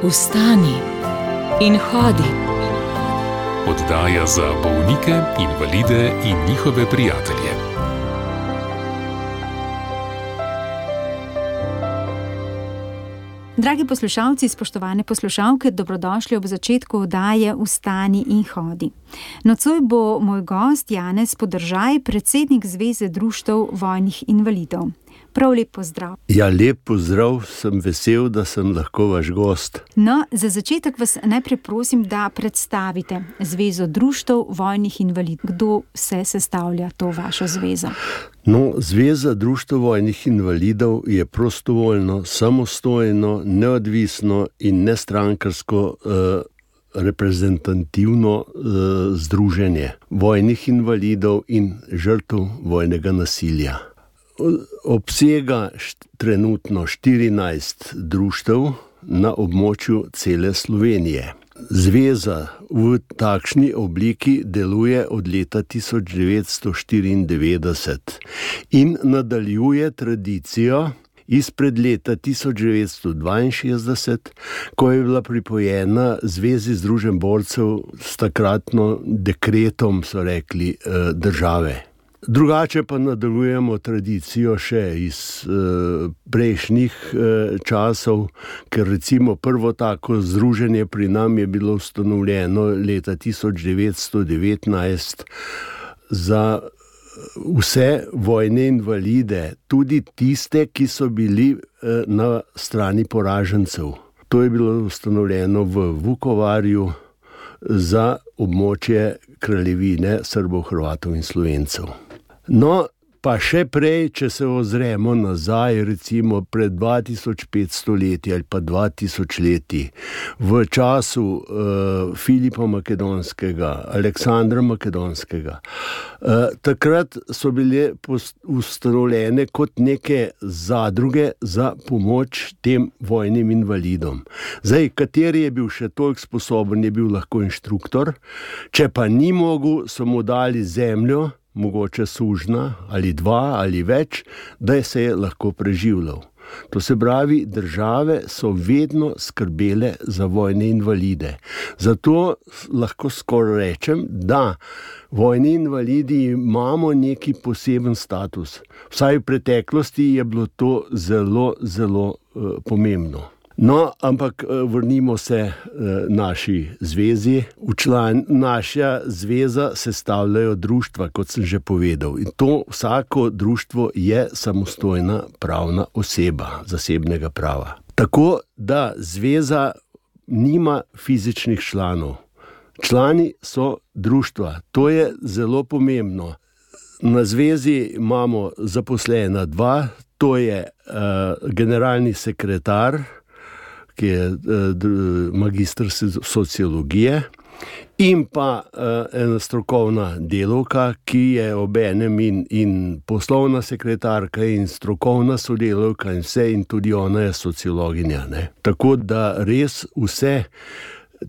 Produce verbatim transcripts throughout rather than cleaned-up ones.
Vstani in hodi. Oddaja za bolnike, invalide in njihove prijatelje. Dragi poslušalci, spoštovane poslušalke, dobrodošli ob začetku oddaje Vstani in hodi. Nocoj bo moj gost Janez Podržaj, predsednik Zveze društev vojnih invalidov. Prav lep pozdrav. Ja, lep pozdrav, sem vesel, da sem lahko vaš gost. No, za začetek vas najprej prosim, da predstavite Zvezo društev vojnih invalidov. Kdo vse sestavlja to vašo zvezo? No, Zveza društev vojnih invalidov je prostovoljno, samostojno, neodvisno in nestrankarsko eh, reprezentativno eh, združenje vojnih invalidov in žrtev vojnega nasilja. Obsega trenutno štirinajst društev na območju cele Slovenije. Zveza v takšni obliki deluje od leta tisoč devetsto štiriindevetdeset in nadaljuje tradicijo izpred leta tisoč devetsto dvainšestdeset, ko je bila pripojena Zvezi združenj borcev s takratno dekretom, so rekli, države. Drugače pa nadaljujemo tradicijo še iz eh, prejšnjih eh, časov, ker recimo prvo tako združenje pri nam je bilo ustanovljeno leta tisoč devetsto devetnajst za vse vojne invalide, tudi tiste, ki so bili eh, na strani poražencev. To je bilo ustanovljeno v Vukovarju za območje kraljevine Srbov, Hrvatov in Slovencev. No, pa še prej, če se ozremo nazaj, recimo pred dva tisoč petsto leti ali pa dva tisoč leti, v času uh, Filipa Makedonskega, Aleksandra Makedonskega, uh, takrat so bile ustanovljene kot neke zadruge za pomoč tem vojnim invalidom. Zdaj, kateri je bil še toliko sposoben, je bil lahko inštruktor, če pa ni mogel, so mu dali zemljo, mogoče sužna ali dva ali več, da se je lahko preživljal. To se pravi, države so vedno skrbele za vojne invalide. Zato lahko skoraj rečem, da vojni invalidi imamo neki poseben status. Vsaj v preteklosti je bilo to zelo, zelo uh, pomembno. No, ampak vrnimo se naši zvezi. V član naša zveza sestavljajo društva, kot sem že povedal. In to vsako društvo je samostojna pravna oseba zasebnega prava. Tako da zveza nima fizičnih članov. Člani so društva. To je zelo pomembno. Na zvezi imamo zaposlena dva, to je uh, generalni sekretar, ki je magister sociologije, in pa ena strokovna delavka, ki je obenem in, in poslovna sekretarka in strokovna sodelavka in vse, in tudi ona je sociologinja. Ne? Tako da res vse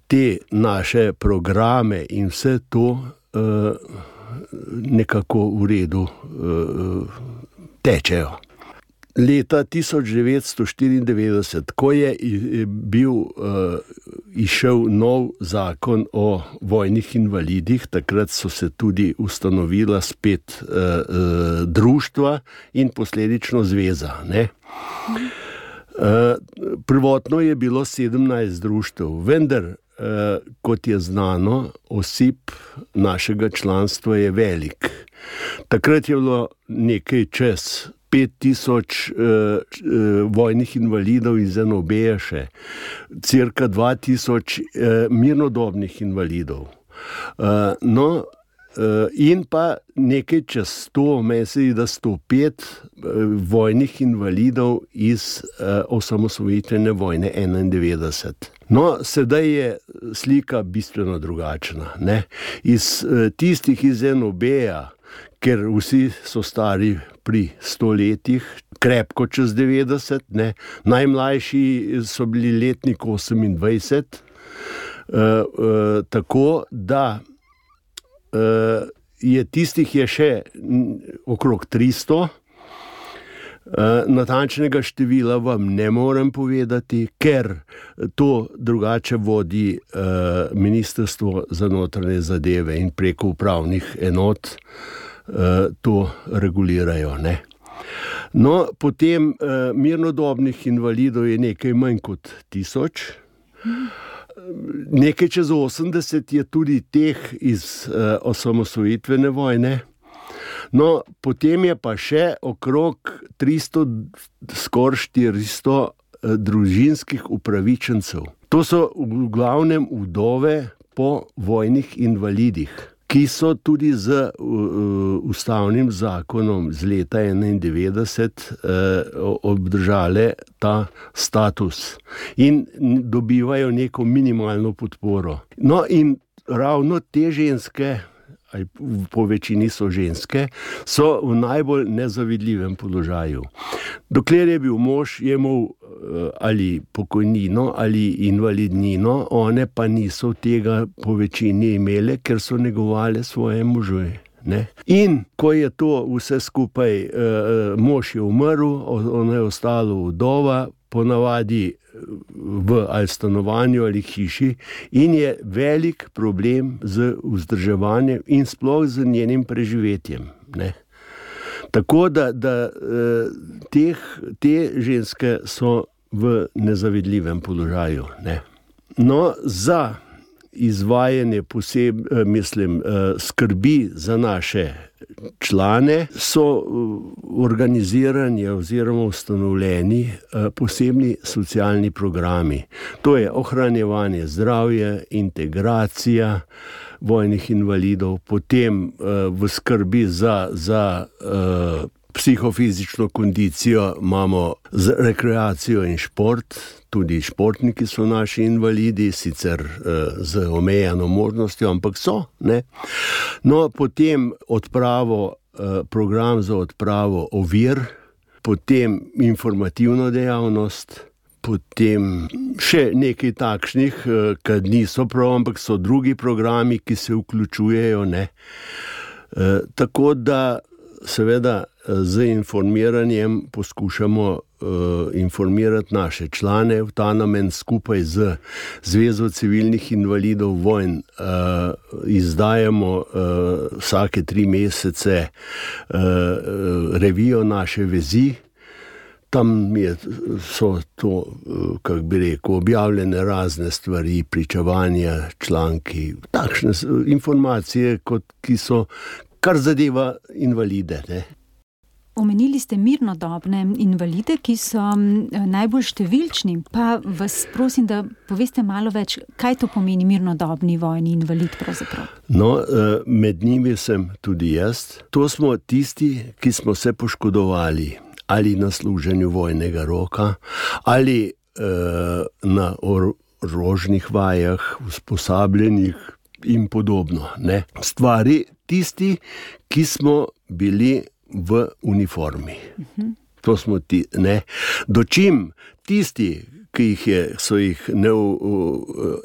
te naše programe in vse to uh, nekako v redu uh, tečejo. Leta tisoč devetsto štiriindevetdeset, ko je bil uh, išel nov zakon o vojnih invalidih, takrat so se tudi ustanovila spet uh, uh, društva in posledično zveza. Ne? Uh, prvotno je bilo sedemnajst društev, vendar, uh, kot je znano, osip našega članstva je velik. Takrat je bilo nekaj čez pet tisoč uh, uh, vojnih invalidov iz en o be še, cirka dva tisoč uh, mirnodobnih invalidov. Uh, no, uh, in pa nekaj čez sto, mislim, da sto pet uh, vojnih invalidov iz uh, osamosvojitvene vojne enaindevetdeset. No, sedaj je slika bistveno drugačna. Ne? Iz uh, tistih iz en o be-ja, ker vsi so stari pri sto letih, krepko čez devetdeset, ne. Najmlajši so bili letnik osemindvajset, uh, uh, tako da uh, je tistih je še okrog tristo, Natančnega števila vam ne morem povedati, ker to drugače vodi Ministrstvo za notranje zadeve in preko upravnih enot to regulirajo, ne. No, potem mirnodobnih invalidov je nekaj manj kot tisoč. Nekaj čez osemdeset je tudi teh iz osamosvojitvene vojne. No, potem je pa še okrog tristo, skoraj štiristo družinskih upravičencev. To so v glavnem vdove po vojnih invalidih, ki so tudi z ustavnim zakonom z leta enaindevetdeset obdržale ta status in dobivajo neko minimalno podporo. No, in ravno te ženske, ali po večini so ženske, so v najbolj nezavidljivem položaju. Dokler je bil mož, je imel ali pokojnino ali invalidnino, one pa niso tega po večini imele, ker so negovale svoje možje. Ne? In ko je to vse skupaj, mož je umrl, ona je ostala vdova, ponavadi v ali stanovanju ali hiši, in je velik problem z vzdrževanjem in sploh z njenim preživetjem. Ne? Tako da, da teh, te ženske so v nezavidljivem položaju. Ne? No, za izvajanje poseb, mislim, skrbi za naše člane so organizirani oziroma ustanovljeni posebni socialni programi. To je ohranjevanje zdravja, integracija vojnih invalidov, potem v skrbi za, za psihofizično kondicijo imamo rekreacijo in šport. Tudi športniki so naši invalidi, sicer z omejeno možnostjo, ampak so, ne. No, potem odpravo, program za odpravo ovir, potem informativno dejavnost, potem še nekaj takšnih, ki niso prav, ampak so drugi programi, ki se vključujejo, ne. Tako da seveda z informiranjem poskušamo informirati naše člane. V ta namen skupaj z Zvezo civilnih invalidov vojn izdajamo vsake tri mesece revijo Naše vezi. Tam je, so to, kako bi rekel, objavljene razne stvari, pričevanja, članki, takšne informacije, kot, ki so, kar zadeva invalide, ne. Omenili ste mirnodobne invalide, ki so najbolj številčni, pa vas prosim, da poveste malo več, kaj to pomeni mirnodobni vojni invalid pravzaprav? No, med njimi sem tudi jaz. To smo tisti, ki smo se poškodovali ali na služenju vojnega roka, ali uh, na orožnih vajah, usposabljenih in podobno, ne. Stvari tisti, ki smo bili v uniformi. Uh-huh. To smo ti, ne. Dočim tisti, ki jih je, so jih ne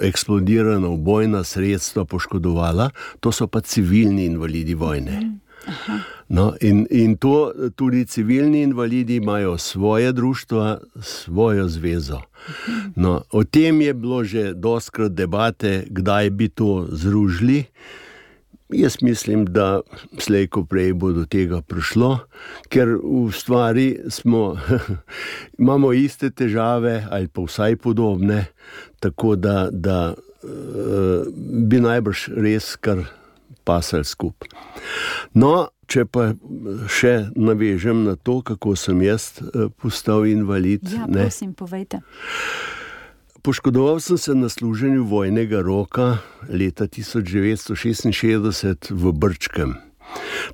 eksplodirana ubojna sredstva poškodovala, to so pa civilni invalidi vojne. Uh-huh. No, in, in to tudi civilni invalidi imajo svoje društva, svojo zvezo. Uh-huh. No, o tem je bilo že dostikrat debate, kdaj bi to združili. Jaz mislim, da slej ko prej bo do tega prišlo, ker v stvari smo, imamo iste težave ali pa vsaj podobne, tako da, da uh, bi najbrž res kar pasali skupaj. No, če pa še navežem na to, kako sem jaz postal invalid. Ja, prosim, ne? Povejte. Poškodoval sem se na služenju vojnega roka leta tisoč devetsto šestinšestdeset v Brčkem.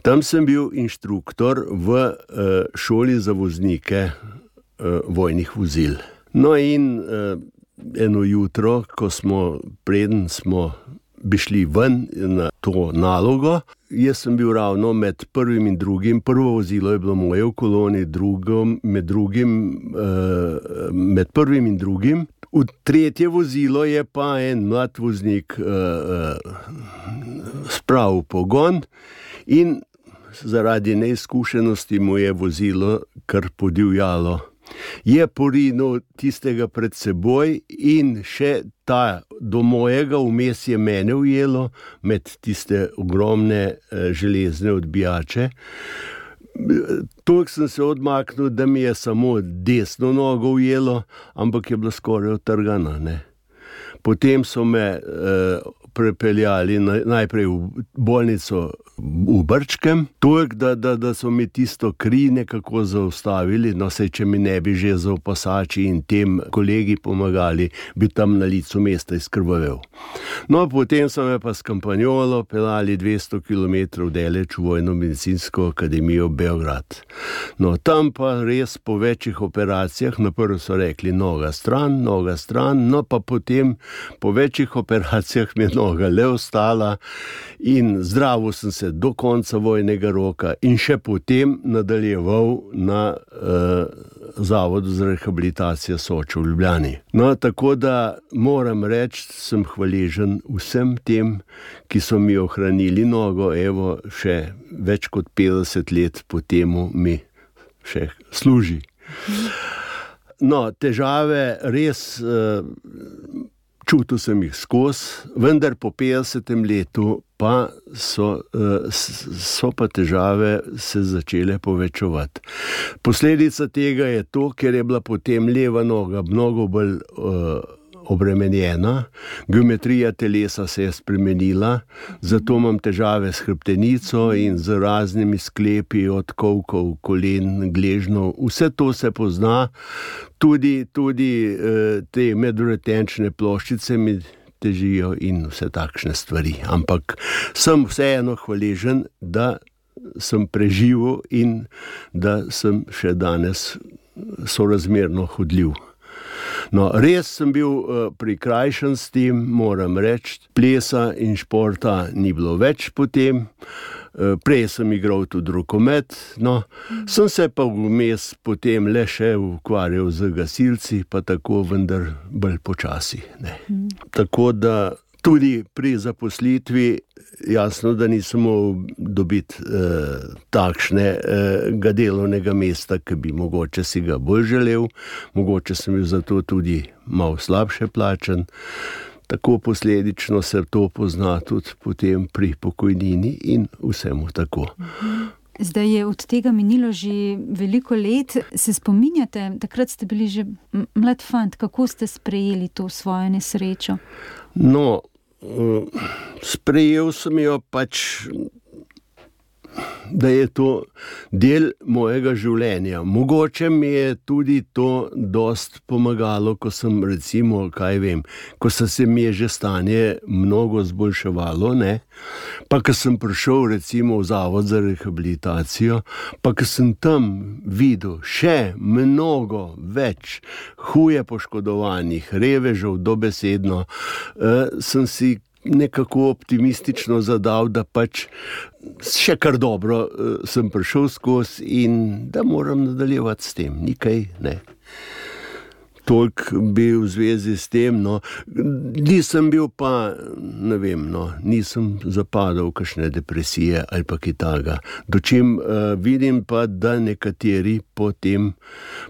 Tam sem bil inštruktor v šoli za voznike vojnih vozil. No in eno jutro, ko smo, preden smo bi šli ven na to nalogo, jaz sem bil ravno med prvim in drugim, prvo vozilo je bilo moje v koloni, drugo, med drugim, med prvim in drugim. V tretje vozilo je pa en mlad voznik uh, uh, spravil pogon in zaradi neizkušenosti mu je vozilo kar podivjalo. Je porinil tistega pred seboj in še ta do mojega vmes je mene ujelo med tiste ogromne železne odbijače. Toliko sem se odmaknil, da mi je samo desno nogo ujelo, ampak je bila skoraj utrgana, ne. Potem so me eh, prepeljali na, najprej v bolnico v Brčkem, toliko, da, da, da so mi tisto kri nekako zaustavili, no sej, če mi ne bi že za opasači in tem kolegi pomagali, bi tam na licu mesta izkrvavel. No, potem so me pa s kampanjolo pelali dvesto kilometrov daleč v Vojno-medicinsko akademijo Beograd. No, tam pa res po večjih operacijah, naprvo so rekli noga stran, noga stran, no pa potem po večjih operacijah mi je noga le ostala in zdravo sem se do konca vojnega roka in še potem nadaljeval na uh, Zavodu za rehabilitacijo Soča v Ljubljani. No, tako da moram reči, sem hvaležen vsem tem, ki so mi ohranili nogo, evo, še več kot petdeset let po temu mi še služi. No, težave res... Uh, Čutil sem jih skozi, vendar po petdesetem letu pa so, so pa težave se začele povečevati. Posledica tega je to, ker je bila potem leva noga mnogo bolj uh, obremenjena, geometrija telesa se je spremenila, zato imam težave s hrbtenico in z raznimi sklepi od kolkov, kolen, gležnov. Vse to se pozna, tudi, tudi eh, te medvretenčne ploščice mi težijo in vse takšne stvari. Ampak sem vseeno hvaležen, da sem preživel in da sem še danes sorazmerno hodljiv. No, res sem bil uh, prikrajšan s tem, moram reči, plesa in športa ni bilo več potem, uh, prej sem igral tudi rokomet, no, sem se pa vmes potem le še ukvarjal z gasilci, pa tako vendar bolj počasi, ne. Mm. Tako da tudi pri zaposlitvi jasno, da nisem mogel dobiti eh, takšnega eh, delovnega mesta, ki bi mogoče si ga bolj želel, mogoče sem bil zato tudi malo slabše plačan. Tako posledično se to pozna tudi potem pri pokojnini in vsemu tako. Zdaj je od tega minilo že veliko let. Se spominjate, takrat ste bili že mlad fant, kako ste sprejeli to svojo nesrečo? No, sprejel sem jo pač, da je to del mojega življenja. Mogoče mi je tudi to dost pomagalo, ko sem recimo, kaj vem, ko se mi je že stanje mnogo zboljševalo, ne, pa ko sem prišel recimo v Zavod za rehabilitacijo, pa ko sem tam videl še mnogo več huje poškodovanih, revežev dobesedno, eh, sem si nekako optimistično zadal, da pač še kar dobro uh, sem prišel skozi in da moram nadaljevati s tem, nikaj ne. Toliko bi v zvezi s tem, no, nisem bil pa, ne vem, no, nisem zapadal v kakšne depresije ali pa kaj takega. Dočim uh, vidim pa, da nekateri po tem,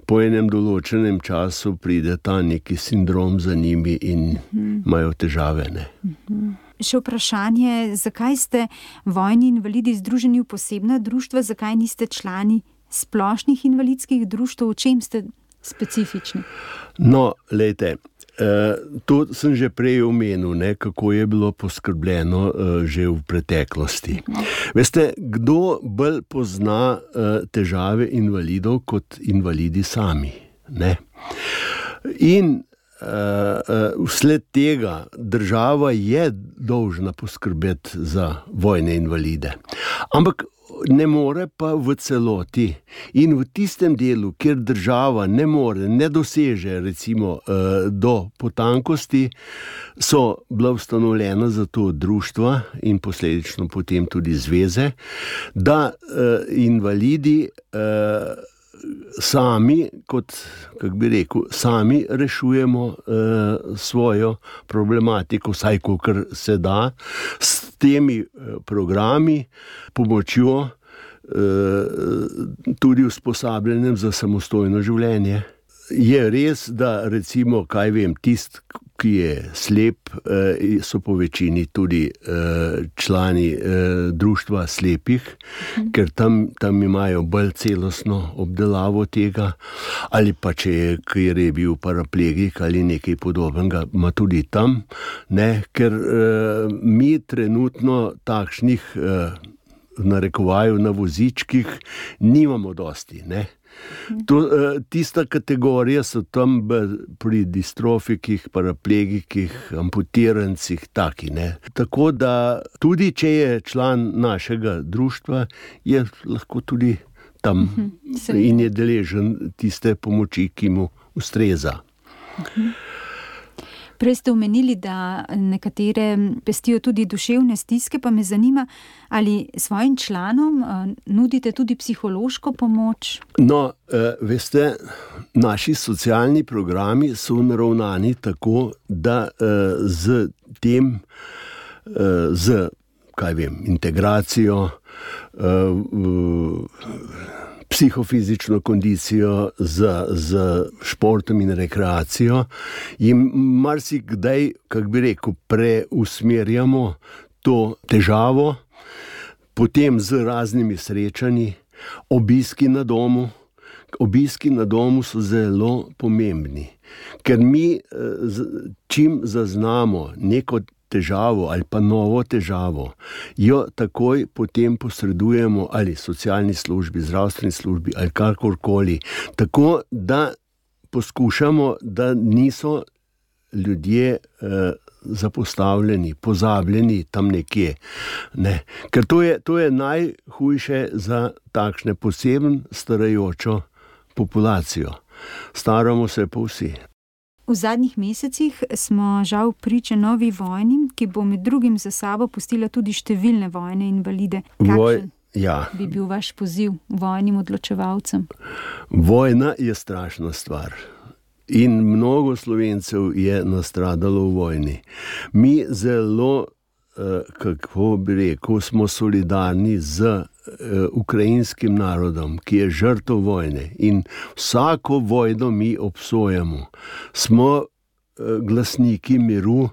po enem določenem času pride ta neki sindrom za njimi in mhm. imajo težave, ne. Mhm. Še vprašanje, zakaj ste vojni invalidi združeni v posebna društva, zakaj niste člani splošnih invalidskih društev, v čem ste specifični? No, lejte, eh, to sem že prej omenil, ne, kako je bilo poskrbljeno eh, že v preteklosti. Veste, kdo bolj pozna eh, težave invalidov kot invalidi sami, ne? In Uh, uh, vsled tega država je dolžna poskrbeti za vojne invalide. Ampak ne more pa v celoti. In v tistem delu, kjer država ne more, ne doseže recimo uh, do potankosti, so bila ustanovljena za to društva in posledično potem tudi zveze, da uh, invalidi uh, sami, kot, kako bi rekel, sami rešujemo uh, svojo problematiko, vsaj kolikor se da, s temi uh, programi, pomočjo, tudi usposabljanjem za samostojno življenje. Je res, da recimo, kaj vem, tist, ki je slep, so po večini tudi člani društva slepih, ker tam, tam imajo bolj celostno obdelavo tega, ali pa če je, ker je bil paraplegik ali nekaj podobnega, ima tudi tam, ne, ker mi trenutno takšnih v narekovaju na vozičkih nimamo dosti, ne. To, tista kategorija so tam pri distrofikih, paraplegikih, amputirancih, taki, ne. Tako da tudi, če je član našega društva, je lahko tudi tam uh-huh. in je deležen tiste pomoči, ki mu ustreza. Uh-huh. Prej ste omenili, da nekatere pestijo tudi duševne stiske, pa me zanima, ali svojim članom nudite tudi psihološko pomoč? No, veste, naši socialni programi so naravnani tako, da z tem, z, kaj vem, integracijo, psihofizično kondicijo, z, z športom in rekreacijo, jim marsikdaj, kak bi rekel, preusmerjamo to težavo, potem z raznimi srečanji, obiski na domu. Obiski na domu so zelo pomembni, ker mi čim zaznamo neko težavo ali pa novo težavo, jo takoj potem posredujemo ali socialni službi, zdravstveni službi ali karkorkoli, tako da poskušamo, da niso ljudje eh, zapostavljeni, pozabljeni tam nekje. Ne. Ker to je, to je najhujše za takšne posebno starajočo populacijo. Staramo se pa vsi. V zadnjih mesecih smo žal priče novi vojni, ki bo med drugim za sabo pustila tudi številne vojne invalide. Kakšen Voj, ja. bi bil vaš poziv vojnim odločevalcem? Vojna je strašna stvar. In mnogo Slovencev je nastradalo v vojni. Mi zelo, kako bi rekel, smo solidarni z ukrajinskim narodom, ki je žrtev vojne, in vsako vojno mi obsojamo. Smo glasniki miru,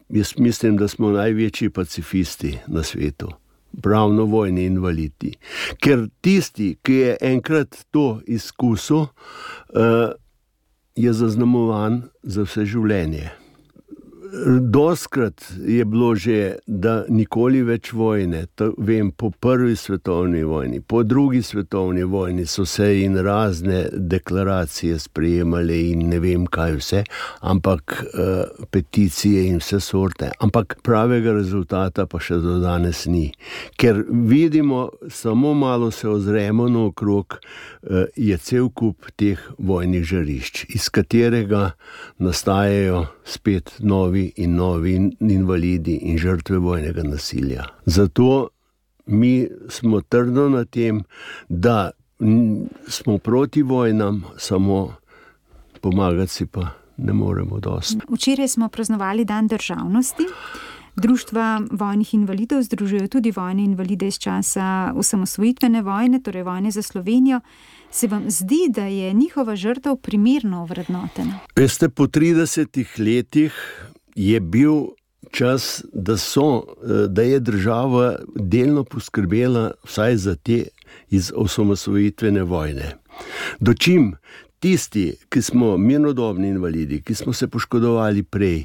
jaz mislim, da smo največji pacifisti na svetu, pravno vojni invalidi. Ker tisti, ki je enkrat to izkusil, je zaznamovan za vse življenje. Doskrat je bilo že, da nikoli več vojne, to vem, po prvi svetovni vojni, po drugi svetovni vojni so se in razne deklaracije sprejemale in ne vem kaj vse, ampak uh, peticije in vse sorte, ampak pravega rezultata pa še do danes ni. Ker vidimo, samo malo se ozremo naokrog, uh, je cel kup teh vojnih žarišč, iz katerega nastajajo spet novi in novi invalidi in žrtve vojnega nasilja. Zato mi smo trdno na tem, da smo proti vojnam, samo pomagati si pa ne moremo dosti. Včeraj smo praznovali Dan državnosti. Društva vojnih invalidov združujejo tudi vojne invalide iz časa osamosvojitvene vojne, torej vojne za Slovenijo. Se vam zdi, da je njihova žrtev primerno ovrednotena? Veste, po tridesetih letih je bil čas, da, so, da je država delno poskrbela vsaj za te iz osamosvojitvene vojne. Dočim tisti, ki smo mirnodobni invalidi, ki smo se poškodovali prej,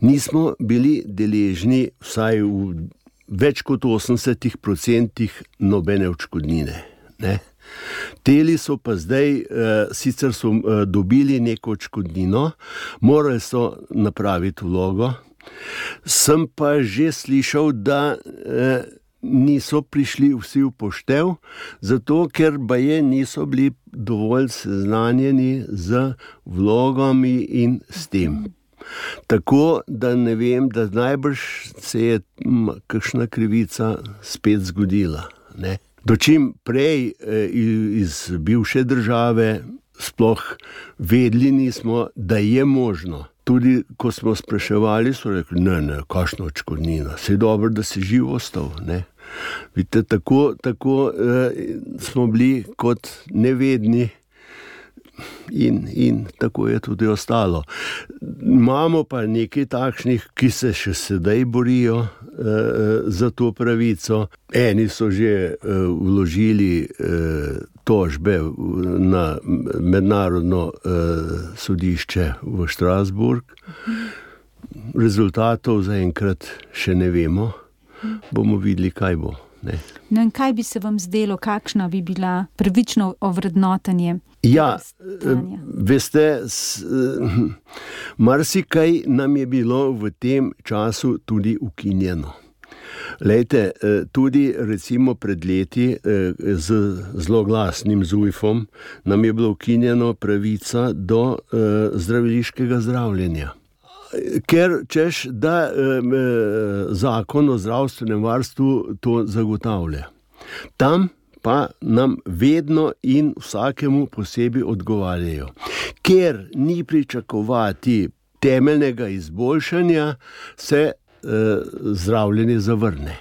nismo bili deležni vsaj v več kot osemdesetih procentih nobene odškodnine, ne? Teli so pa zdaj, eh, sicer so eh, dobili neko odškodnino, morali so napraviti vlogo. Sem pa že slišal, da eh, niso prišli vsi v poštev, zato ker baje niso bili dovolj seznanjeni z vlogami in s tem. Tako da ne vem, da najbrž se je kakšna krivica spet zgodila, ne. Dočim prej iz bivše države sploh vedeli nismo, da je možno. Tudi ko smo spraševali, so rekli, ne, ne, kakšna odškodnina, saj dobro, da si živ ostal, ne. Vidite, tako, tako uh, smo bili kot nevedni in, in tako je tudi ostalo. Imamo pa nekaj takšnih, ki se še sedaj borijo uh, za to pravico. Eni so že uh, vložili uh, tožbe na mednarodno uh, sodišče v Strasbourg. Rezultatov zaenkrat še ne vemo. Bomo videli, kaj bo. Ne. No in kaj bi se vam zdelo, kakšna bi bila pravično ovrednotenje? Ja, veste, s, marsikaj nam je bilo v tem času tudi ukinjeno. Lejte, tudi recimo pred leti z zloglasnim Zujfom nam je bilo ukinjeno pravica do zdraviliškega zdravljenja. Ker češ, da eh, zakon o zdravstvenem varstvu to zagotavlja. Tam pa nam vedno in vsakemu posebej odgovarjajo. Ker ni pričakovati temeljnega izboljšanja, se eh, zdravljenje zavrne.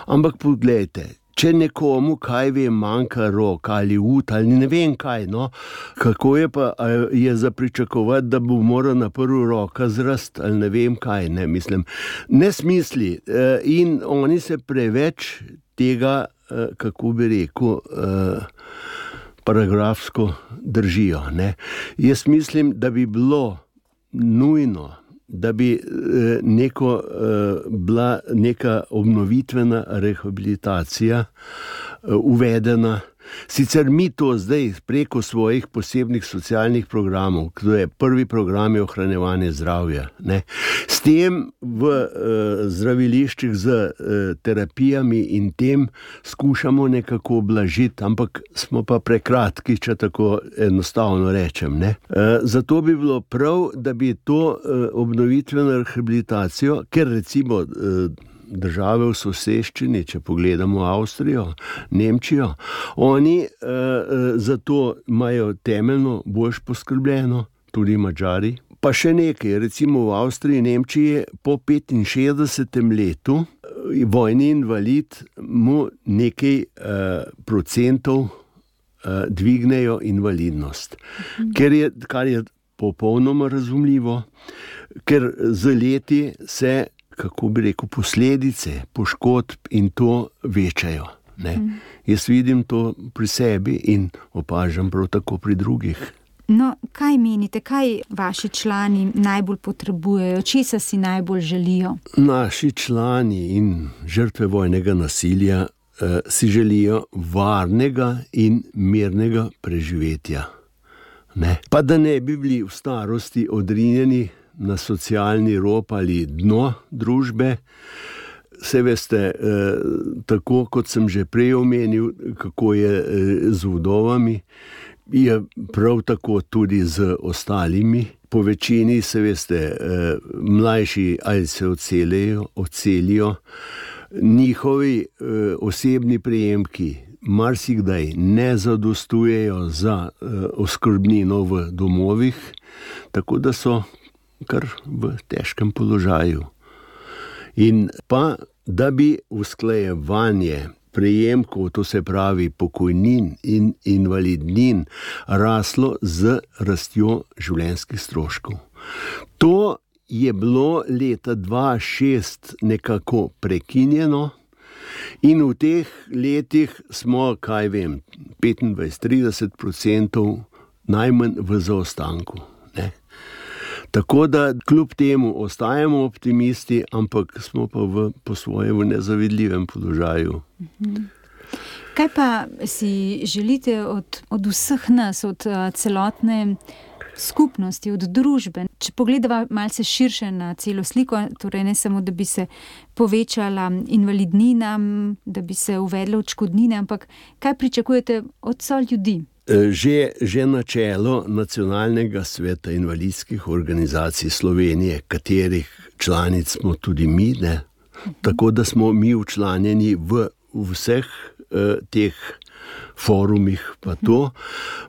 Ampak poglejte, če nekomu, kaj vem, manjka rok ali ud ali ne vem kaj, no, kako je pa je za pričakovati, da bo moral na prvo roka zrast ali ne vem kaj, ne, mislim, nesmisli. In oni se preveč tega, kako bi rekel, paragrafsko držijo, ne. Jaz mislim, da bi bilo nujno, da bi neko, bila neka obnovitvena rehabilitacija uvedena. Sicer mi to zdaj preko svojih posebnih socialnih programov, to je prvi program je ohranjevanje zdravja, ne. S tem v uh, zdraviliščih z uh, terapijami in tem skušamo nekako blažiti, ampak smo pa prekratki, če tako enostavno rečem, ne. Uh, zato bi bilo prav, da bi to uh, obnovitveno rehabilitacijo, ker recimo uh, države v soseščini, če pogledamo Avstrijo, Nemčijo, oni uh, za to imajo temeljno boljš poskrbljeno, tudi Madžari. Pa še nekaj, recimo v Avstriji in Nemčiji po petinšestdesetem letu vojni invalid mu nekaj uh, procentov uh, dvignejo invalidnost. Mhm. Ker je, kar je popolnoma razumljivo, ker z leti se, kako bi rekel, posledice poškodb in to večajo. Ne? Mm. Jaz vidim to pri sebi in opažam prav tako pri drugih. No, kaj menite, kaj vaši člani najbolj potrebujejo, česa si najbolj želijo? Naši člani in žrtve vojnega nasilja eh, si želijo varnega in mirnega preživetja. Ne? Pa da ne bi bili v starosti odrinjeni na socialni rob ali dno družbe. Se veste, eh, tako kot sem že prej omenil, kako je eh, z vdovami, je prav tako tudi z ostalimi. Po večini, se veste, eh, mlajši ali se odselijo, odselijo. Njihovi eh, osebni prejemki marsikdaj ne zadostujejo za eh, oskrbnino v domovih, tako da so kar v težkem položaju. In pa, da bi usklajevanje prejemkov, to se pravi pokojnin in invalidnin, raslo z rastjo življenjskih stroškov. To je bilo leta dva tisoč šest nekako prekinjeno in v teh letih smo, kaj vem, petindvajset do trideset procentov najmanj v zaostanku, ne. Tako da kljub temu ostajamo optimisti, ampak smo pa v, po svoje v nezavidljivem položaju. Kaj pa si želite od, od vseh nas, od uh, celotne skupnosti, od družbe? Če pogledava malce širše na celo sliko, torej ne samo, da bi se povečala invalidnina, da bi se uvedle odškodnine, ampak kaj pričakujete od so ljudi? Že, že načelo Nacionalnega sveta invalidskih organizacij Slovenije, katerih članic smo tudi mi, ne? Tako da smo mi včlanjeni v vseh eh, teh forumih, pa to.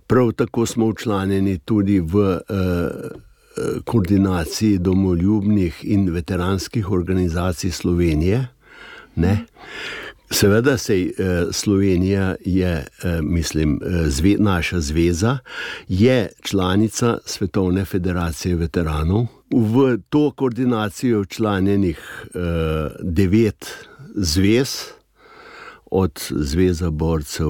Prav tako smo včlanjeni tudi v eh, koordinaciji domoljubnih in veteranskih organizacij Slovenije, ne? Seveda sej Slovenija je, mislim, zve, naša zveza, je članica Svetovne federacije veteranov. V to koordinacijo včlanjenih devet zvez, od Zveza borcev,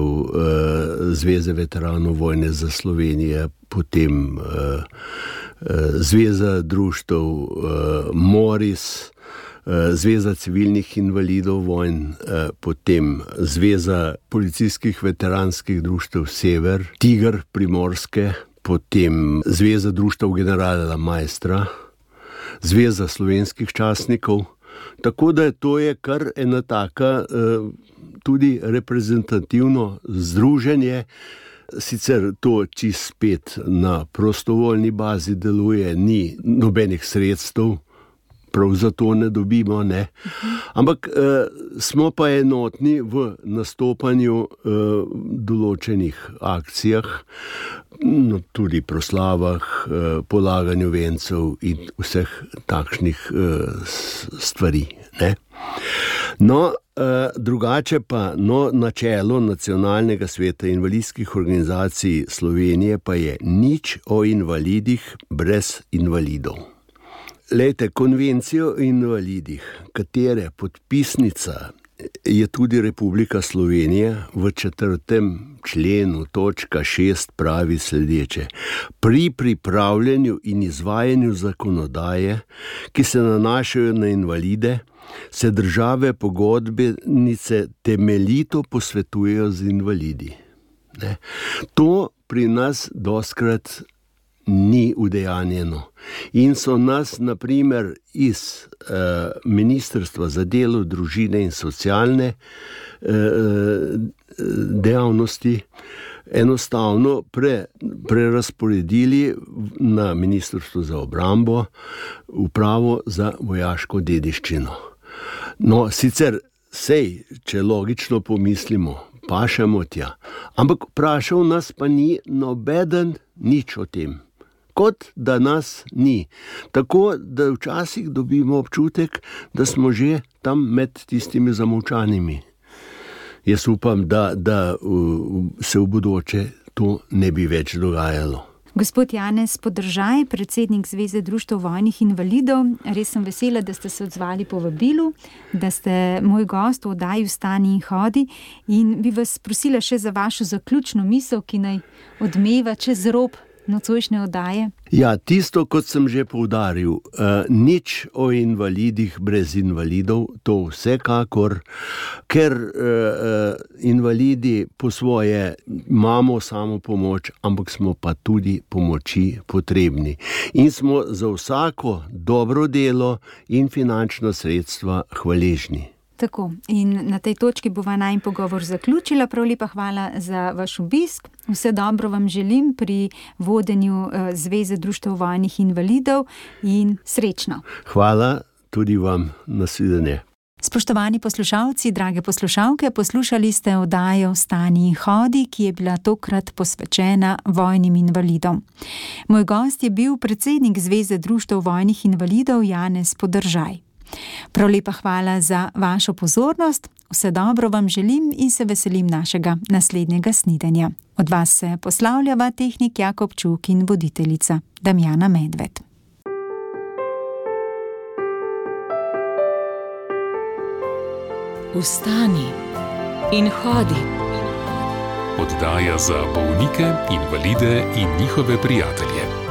Zveze veteranov vojne za Slovenijo, potem Zveza društev Moris, Zveza civilnih invalidov vojn, potem Zveza policijskih veteranskih društev Sever, Tiger Primorske, potem Zveza društev generala Maestra, Zveza slovenskih častnikov. Tako da to je kar ena taka tudi reprezentativno združenje. Sicer to čisto spet na prostovoljni bazi deluje, ni nobenih sredstev, prav zato ne dobimo, ne. Ampak eh, smo pa enotni v nastopanju eh, določenih akcijah, no, tudi proslavah, eh, polaganju vencev in vseh takšnih eh, stvari, ne. No, eh, drugače pa, no, načelo Nacionalnega sveta invalidskih organizacij Slovenije pa je nič o invalidih brez invalidov. Lejte, konvencijo o invalidih, katere podpisnica je tudi Republika Slovenija, v četrtem členu točka šest pravi sledeče: pri pripravljanju in izvajanju zakonodaje, ki se nanašajo na invalide, se države pogodbenice temeljito posvetujejo z invalidi. Ne? To pri nas dostikrat ni udejanjeno. In so nas, na primer, iz eh, Ministrstva za delo, družine in socialne eh, dejavnosti enostavno pre, prerasporedili na Ministrstvo za obrambo, upravo za vojaško dediščino. No, sicer sej, če logično pomislimo, pašemo tja, ampak vprašal nas pa ni nobeden nič o tem. Kot da nas ni. Tako da včasih dobimo občutek, da smo že tam med tistimi zamolčanimi. Jaz upam, da, da se v bodoče to ne bi več dogajalo. Gospod Janez Podržaj, predsednik Zveze društev vojnih invalidov, res sem vesela, da ste se odzvali povabilu, da ste moj gost v oddaji Vstani in hodi, in bi vas prosila še za vašo zaključno misel, ki naj odmeva čez rob nocojšnje oddaje. Ja, tisto, kot sem že poudaril, uh, nič o invalidih brez invalidov, to vsekakor, ker uh, invalidi po svoje imamo samo pomoč, ampak smo pa tudi pomoči potrebni. In smo za vsako dobro delo in finančna sredstva hvaležni. Tako, in na tej točki bova najin pogovor zaključila. Prav lepa hvala za vaš obisk. Vse dobro vam želim pri vodenju Zveze društev vojnih invalidov in srečno. Hvala tudi vam, nasvidenje. Spoštovani poslušalci, drage poslušalke, poslušali ste oddajo Vstani in hodi, ki je bila tokrat posvečena vojnim invalidom. Moj gost je bil predsednik Zveze društev vojnih invalidov Janez Podržaj. Prav lepa hvala za vašo pozornost, vse dobro vam želim in se veselim našega naslednjega snidenja. Od vas se poslavljava tehnik Jakob Čuk in voditeljica Damjana Medved. Vstani in hodi. Oddaja za bolnike, invalide in njihove prijatelje.